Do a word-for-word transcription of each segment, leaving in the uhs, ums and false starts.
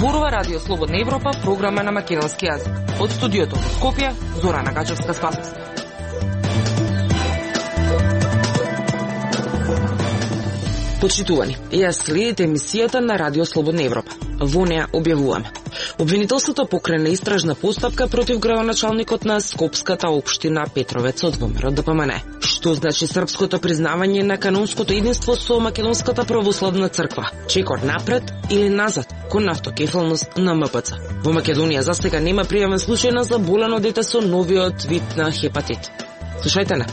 Зборува Радио Слободна Европа, програма на македонски јазик. Од студиото во Скопје, Зорана Гачевска-Спасовска. Почитувани, ја следите емисијата на Радио Слободна Европа. Во неа објавуваме. Обвинителството покрена истражна постапка против градоначалникот на Скопската општина Петровец од ВМРО Д П М Н. Што значи српското признавање на канонското единство со Македонската православна црква? Чекор напред или назад кон автокефалност на М П Ц? Во Македонија засега нема пријавен случај на заболено дете со новиот вид на хепатит. Слушајте на.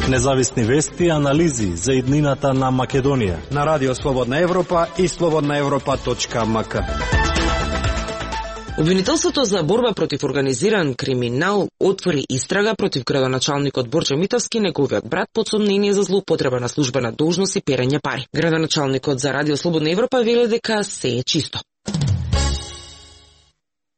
Независни вести и анализи за иднината на Македонија на Радио Слободна Европа и слободна европа точка м к. Обвинителството за борба против организиран криминал отвори истрага против градоначалникот Борче Митовски, неговиот брат, под сомнение за злоупотреба на службена должност и перење пари. Градоначалникот за Радио Слободна Европа вели дека се е чисто.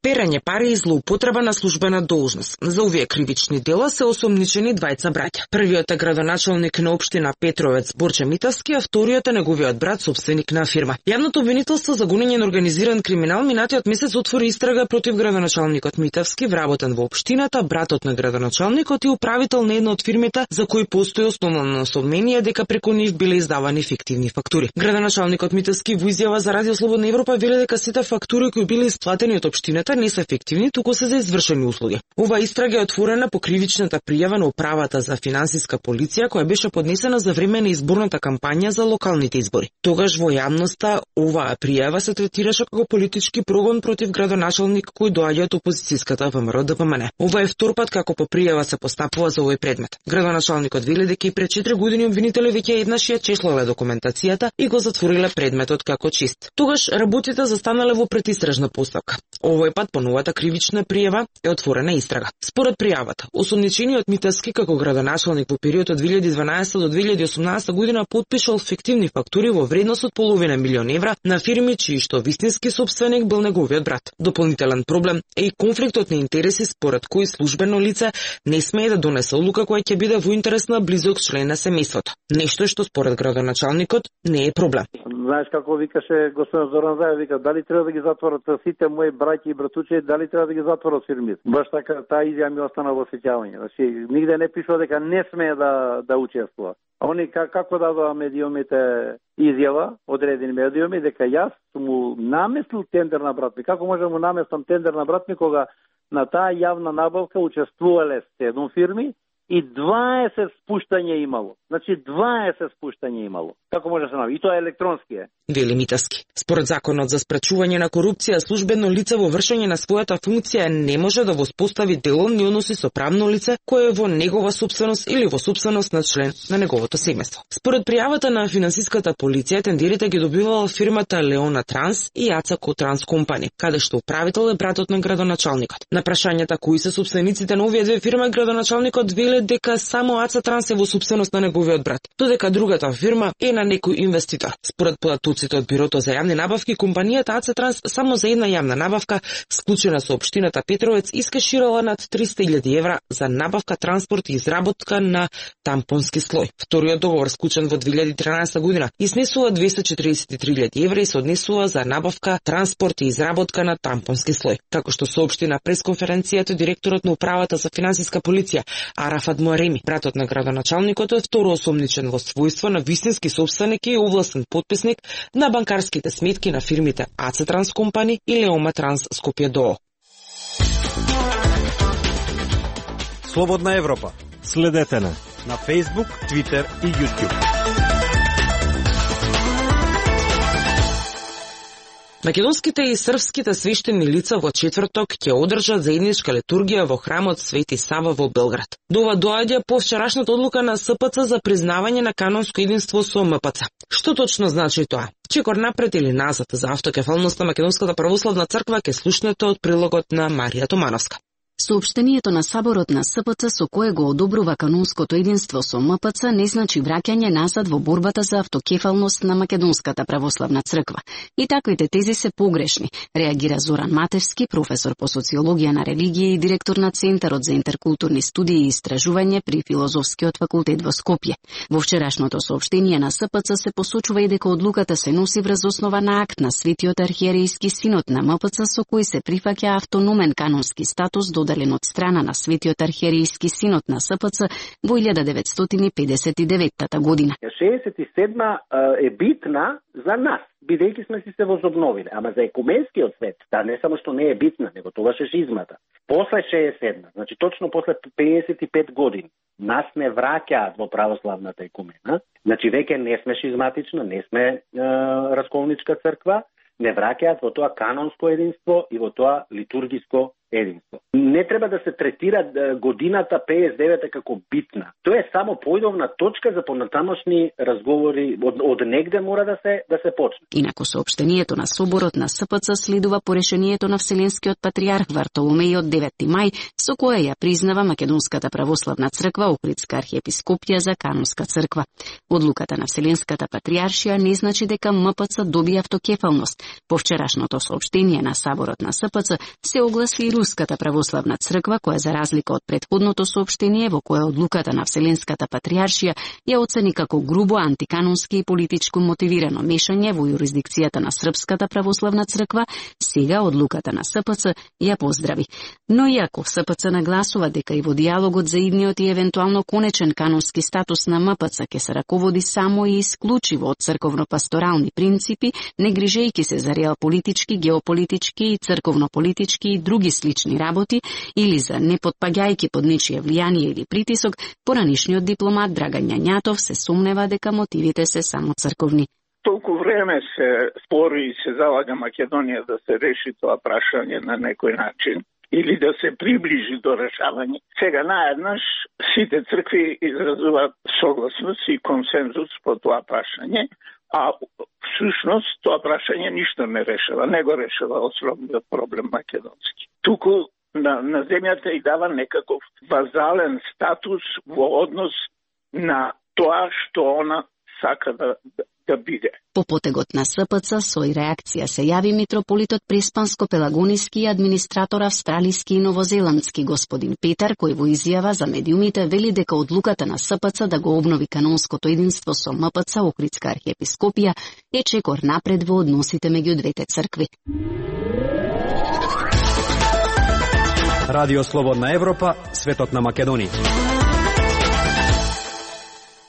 Перење пари и злоупотреба на службена должност. За овие кривични дела се осомничени двајца браќа. Првиот е градоначалник на општина Петровец Борче Митовски, а вториот е неговиот брат, собственик на фирма. Јавното обвинителство за гонење на организиран криминал минатиот месец отвори истрага против градоначалникот Митовски, вработен во општината, братот на градоначалникот и управител на една од фирмите за кои постои основно сомнение дека преку нив биле издавани фиктивни фактури. Градоначалникот Митовски во изјава за Радио Слободна Европа вели дека сите фактури кои биле исплатени од општината не се ефективни, туку се за извршени услуги. Ова истрага е отворена по кривичната пријава на управата за финансиска полиција која беше поднесена за време на изборната кампања за локалните избори. Тогаш во јавноста оваа пријава се третираше како политички прогон против градоначалник кој доаѓа од опозицијската ВМРО Д П М Н. Ова е втор пат како по пријава се постапува за овој предмет. Градоначалникот вели дека и пред четири години обвинители веќе еднаш ја чешлале документацијата и го затвориле предметот како чист. Тогаш работите застанале во предистражна постапка. Овој пат по новата кривична пријава е отворена истрага. Според пријавата, осомничениот Митовски како градоначалник во период од две илјади и дванаесета до две илјади и осумнаесета година потпишал фиктивни фактури во вредност од половина милион евра на фирми чиј што вистински сопственик бил неговиот брат. Дополнителен проблем е и конфликтот на интереси според кој службено лице не смее да донесе одлука која ќе биде во интерес на близок член на семејството. Нешто што според градоначалникот не е проблем. Знаеш како викаше господин Зоран Заев, вика дали треба да ги затворат сите мои браќи и братуче, дали треба да ги затворат фирмите. Баш така таа изјава ми остана во сеќавање. Значи нигде не пишува дека не смее да да учествува. А они как, како дадоа медиумите изјава, одредени медиуми, дека јас сум му наместил тендер на брат ми. Како може да му наместам тендер на брат ми кога на таа јавна набавка учествувале седум фирми и дваесет спуштања имало. Значи дваесет спуштања имало. Како може да се направи? И тоа е електронски е. Вели Митовски. Според законот за спречување на корупција, службено лице во вршење на својата функција не може да воспостави деловни односи со правно лице кое е во негова собственост или во собственост на член на неговото семејство. Според пријавата на финансиската полиција, тендерите ги добивала фирмата Леона Транс и Ацако Транс Компани, каде што управител е братот на градоначалникот. На прашањата кои се собствениците на овие две фирми, градоначалникот вели дека само Аца Транс е во собственост на неговиот брат, додека другата фирма е на некој инвеститор. Според податоците од Бирото за јавни набавки, компанијата Аца Транс само за една јавна набавка, склучена со општината Петровец, искеширала над триста илјади евра за набавка, транспорт и изработка на тампонски слој. Вториот договор, склучен во две илјади и транаесета година, изнесува двесте четириесет и три илјади евра и се однесува за набавка, транспорт и изработка на тампонски слој. Како што соопшти на пресконференцијата директорот на управата за финансиска полиција Арафат Муареми, братот на градоначалникот е второ осомничен во својство на вистински сопственик и овластен потписник на банкарските сметки на фирмите Аце Транс Компани и Леома Транс Скопје ДОО. Слободна Европа. Следете на на Facebook, Twitter и YouTube. Македонските и српските свештени лица во четврток ќе одржат заедничка литургија во храмот Свети Сава во Белград. До ова доаѓа по вчерашната одлука на С П Ц за признавање на канонско единство со М П Ц. Што точно значи тоа? Чекор напред или назад за автокефалност на Македонската православна црква ќе слушнете од прилогот на Марија Томановска. Соопштението на Саборот на С П Ц со кое го одобрува канонското единство со М П Ц не значи враќање назад во борбата за автокефалност на Македонската православна црква. И таквите тези се погрешни, реагира Зоран Матевски, професор по социологија на религија и директор на Центарот за интеркултурни студии и истражување при Филозофскиот факултет во Скопје. Во вчерашното соопштение на С П Ц се посочува и дека одлуката се носи врз основа на акт на Светиот архиерејски синод на М П Ц со кој се прифаќа автономен канонски статус додален од страна на Светиот архиерејски синод на С П Ц во илјада деветстотини педесет и девета година. шеесет и седма е битна за нас, бидејќи сме си се возобновиле, ама за екуменскиот свет, да не само што не е битна, него тогаш е шизмата. После шеесет и седма, значи точно после педесет и пет години, нас не враќаат во православната екумена, значи веќе не сме шизматична, не сме е, расколничка црква, не враќаат во тоа канонско единство и во тоа литургиско единство. Не треба да се третира годината педесет и девета како битна. Тоа е само поидовна точка за понатамошни разговори, од, од негде мора да се да се почне. Инаку соопштението на Соборот на С П Ц следува по решението на Вселенскиот патриарх Вартоломеј од деветти мај, со кое ја признава Македонската православна црква Охридска архиепископија за канонска црква. Одлуката на Вселенската патриаршија не значи дека М П Ц доби автокефалност. По вчерашното соопштение на Саборот на С П Ц се огласи Руската православна црква, која за разлика од претходното соопштение во кое одлуката на Вселенската патриаршија ја оцени како грубо антиканонски и политичко мотивирано мешање во јурисдикцијата на Српската православна црква, сега одлуката на С П Ц ја поздрави. Но иако С П Ц нагласува дека и во диалогот за идниот и евентуално конечен канонски статус на М П Ц ќе се раководи само и исклучиво од црковно-пасторални принципи, не грижејќи се за реалполитички, геополитички и црковно-политички и други слични работи или за не потпаѓајќи под нечие влијание или притисок, поранишниот дипломат Драган Јањатов се сумнева дека мотивите се само црковни. Толку време се спори и се залага Македонија да се реши тоа прашање на некој начин или да се приближи до решавање. Сега наеднаш сите цркви изразуваат согласност и консензус по тоа прашање, а всушност тоа прашање ништо не решава, не го решава основниот проблем македонски. Туку на, на земјата и дава некаков вазален статус во однос на тоа што она сака да, да, да биде. По потегот на С П Ц со реакција се јави митрополитот Преспанско-Пелагониски и администратор австралиски и новозеландски господин Петар, кој во изјава за медиумите вели дека одлуката на С П Ц да го обнови канонското единство со М П Ц Охридска архиепископија е чекор напред во односите меѓу двете цркви. Радио Слободна Европа, светот на Македонија.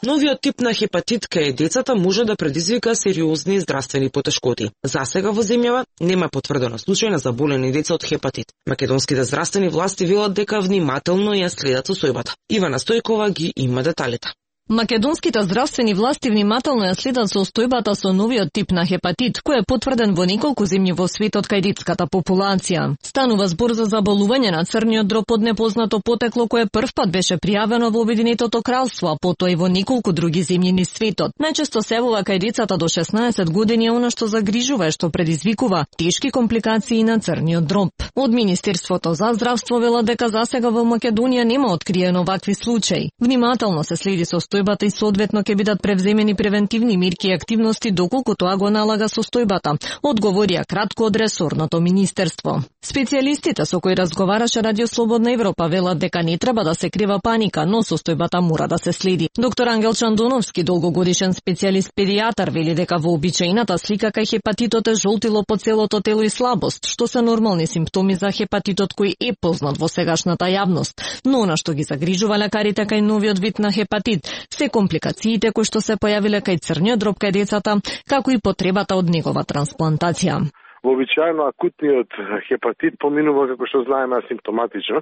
Новиот тип на хепатит кај децата може да предизвика сериозни здравствени потешкоти. Засега во земјава нема потврдено случај на заболени деца од хепатит. Македонските здравствени власти велат дека внимателно ја следат состојбата. Ивана Стојкова ги има деталите. Македонските здравствени власти внимателно ја следат состојбата со новиот тип на хепатит, кој е потврден во неколку земји во светот кај детската популација. Станува збор за заболување на црниот дроб од непознато потекло кое првпат беше пријавено во Обединетото кралство, а потоа и во неколку други земји низ светот. Најчесто се явува кај децата до шеснаесет години, она што загрижува е што предизвикува тешки компликации на црниот дроб. Од Министерството за здравство велат дека засега во Македонија нема откриено вакви случаи. Внимателно се следи состојбата и соодветно ќе бидат превземени превентивни мерки и активности доколку тоа го налага состојбата, одговорија кратко од ресорното министерство. Специјалистите со кои разговараше Радио Слободна Европа велат дека не треба да се крива паника, но состојбата мора да се следи. Доктор Ангел Чандоновски, долгогодишен специјалист педијатар, вели дека вообичаената слика кај хепатитот е жолтило по целото тело и слабост, што се нормални симптоми за хепатитот кој е познат во сегашната јавност. Но она што ги загрижува лекарите кај новиот вид на хепатит се компликациите кои што се појавиле кај црниот дроб кај децата, како и потребата од негова трансплантација. Вообичаено акутниот хепатит поминува, како што знаеме, асимптоматично.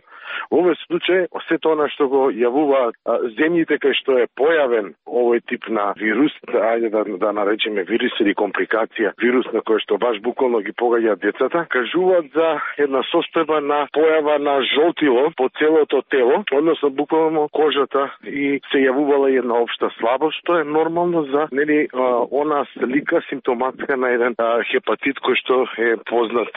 Во овој случај, сето она што го јавуваат земјите кај што е појавен овој тип на вирус, ајде да, да наречеме вирус или компликација, вирус на кој што баш буквално ги погаѓа децата, кажуваат за една состојба на појава на жолтило по целото тело, односно буквално кожата, и се јавувала една општа слабост, што е нормално за нели она слика симптоматска на еден а, хепатит кој што е познат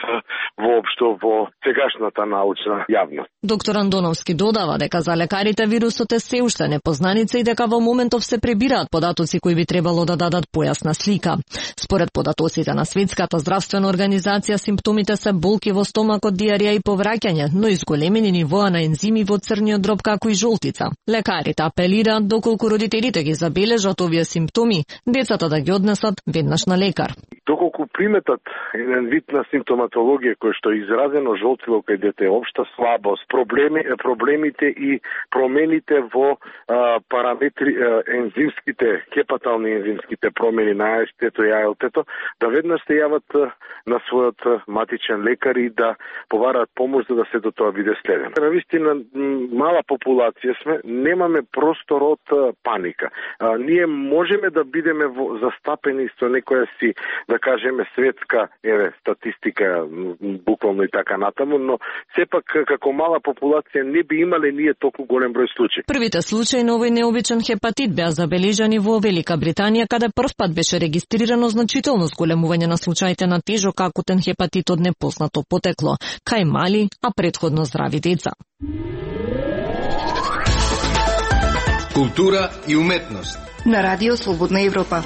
воопшто во сегашната научна јавност. Доктор Андоновски додава дека за лекарите вирусот е се уште непознаница и дека во моментов се пребираат податоци кои би требало да дадат појасна слика. Според податоците на Светската здравствена организација, симптомите се болки во стомакот, диарија и повраќање, но изголемени нивоа на ензими во црниот дроб како и жолтица. Лекарите апелираат доколку родителите ги забележат овие симптоми, децата да ги однесат веднаш на лекар. Доколку приметат еден вид на симптоматологија кој што е изразено жолтиво кај дете, општа слабост, проблеми, проблемите и промените во а, параметри а, ензимските, хепатални ензимските промени на А С Т-то и А Л Т-то, да веднаш се јават а, на својот матичен лекар и да повараат помош за да се до тоа биде следено. Навистина мала популација сме, немаме простор од а, паника. А, ние можеме да бидеме во, застапени со некоја си, да кажеме, светска еве статистика, буквално и така натаму, но сепак како мала популација не би имале ние толку голем број случаи. Првите случаи на овој необичен хепатит беа забележани во Велика Британија, каде првпат беше регистрирано значително зголемување на случаите на тежок акутен хепатит од непознато потекло, кај мали, а претходно здрави деца. Култура и уметност на Радио Слободна Европа.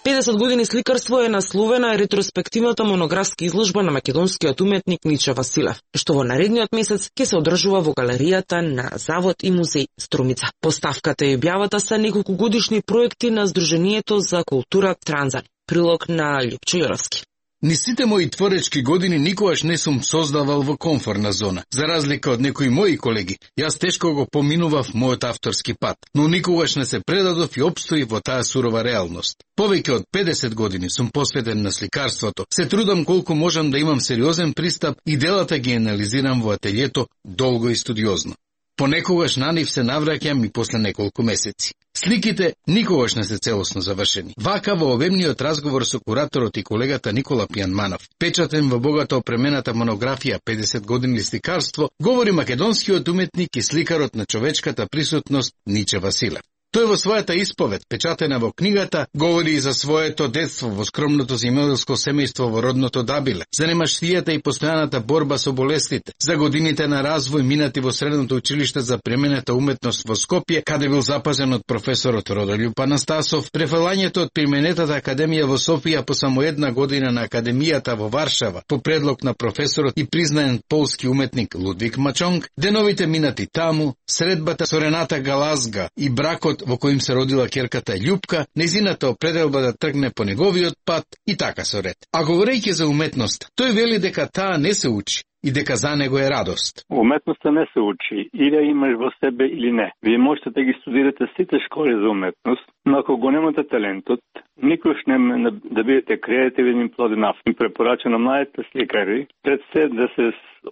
педесет години сликарство е насловена ретроспективната монографска изложба на македонскиот уметник Ниче Василев, што во наредниот месец ќе се одржува во галеријата на Завод и музеј Струмица. Поставката и објавата се неколку годишни проекти на Сдруженијето за култура Транзан. Прилог на Лјупчо Јоровски. Ни сите мои творечки години никогаш не сум создавал во комфортна зона. За разлика од некои мои колеги, јас тешко го поминував мојот авторски пат, но никогаш не се предадов и опстои во таа сурова реалност. Повеќе од педесет години сум посветен на сликарството. Се трудам колку можам да имам сериозен пристап и делата ги анализирам во ателјето долго и студиозно. Понекогаш на нив се навраќам и после неколку месеци. Сликите никогаш не се целосно завршени. Вака во обемниот разговор со кураторот и колегата Никола Пијанманов, печатен во богато опремената монографија педесет години сликарство, говори македонскиот уметник и сликарот на човечката присутност Ниче Василев. Тој во својата исповед, печатена во книгата, говори и за своето детство во скромното земјоделско семејство во родното Дабиле, за немаштијата и постојаната борба со болестите, за годините на развој минати во средното училиште за применета уметност во Скопје, каде бил запазен од професорот Родолјуп Анастасов, префалањето од применетата академија во Софија по само една година на академијата во Варшава, по предлог на професорот и признаен полски уметник Лудвик Мачонг, деновите минати таму, средбата со Рената Галазга и бракот во којим се родила ќерката Љупка, незината определба да тргне по неговиот пат и така со ред. А говорејќи за уметност, тој вели дека таа не се учи и дека за него е радост. Уметноста не се учи, или ја имаш во себе или не. Вие можете да ги студирате сите школи за уметност, но ако го немате талентот, никош не да бидете креативен и плоден автор. Им препорача на младите сликари пред се да се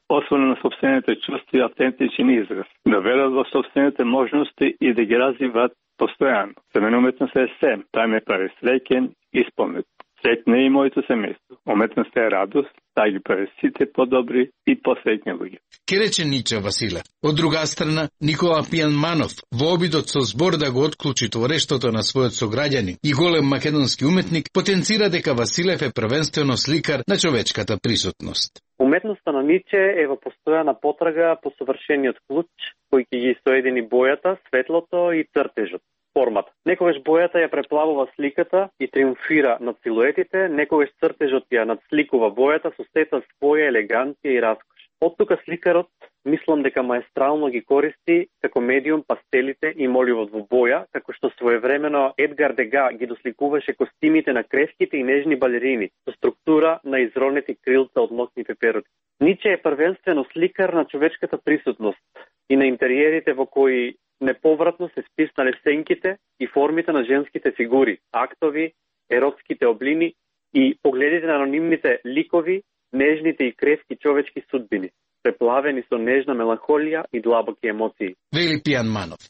освоне на собствените чувства и автентичен израз, да верат во собствените можности и да ги развиват постојано. За мене уметноста е се, таа ме прави среќен и спомнет. Среќна е и моето семејство. Уметноста е радост, таа ги прави сите подобри и посреќни луѓе. Ке рече Ниче Василев. Од друга страна, Никола Пијанманов, во обидот со збор да го отклучи творештото на својот сограѓанин и голем македонски уметник, потенцира дека Василев е првенствено сликар на човечката присутност. Уметноста на Ниче е во постојана потрага по совршениот клуч, кој ќе ги соедини бојата, светлото и цртежот, формата. Некогаш бојата ја преплавува сликата и триумфира над силуетите, некогаш цртежот ја надсликува бојата со сета своја елеганција и раскош. Од тука сликарот, мислам дека маестрално ги користи како медиум пастелите и моливот во боја, како што своевремено Едгар Дега ги досликуваше костимите на креските и нежни балерини, со структура на изронети крилца од носни пепероти. Ниче е првенствено сликар на човечката присутност и на интериерите во кои неповратно се списнале сенките и формите на женските фигури, актови, еротските облини и погледите на анонимните ликови, нежните и кревки човечки судбини, преплавени со нежна меланхолија и длабоки емоции. Вели Пијанманов.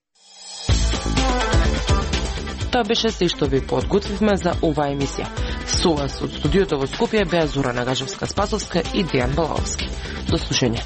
Тоа беше се што ви подготвивме за оваа емисија. Со вас од студиото во Скопје беа Зора Нагажевска-Спасовска и Дејан Балаовски. До слушање.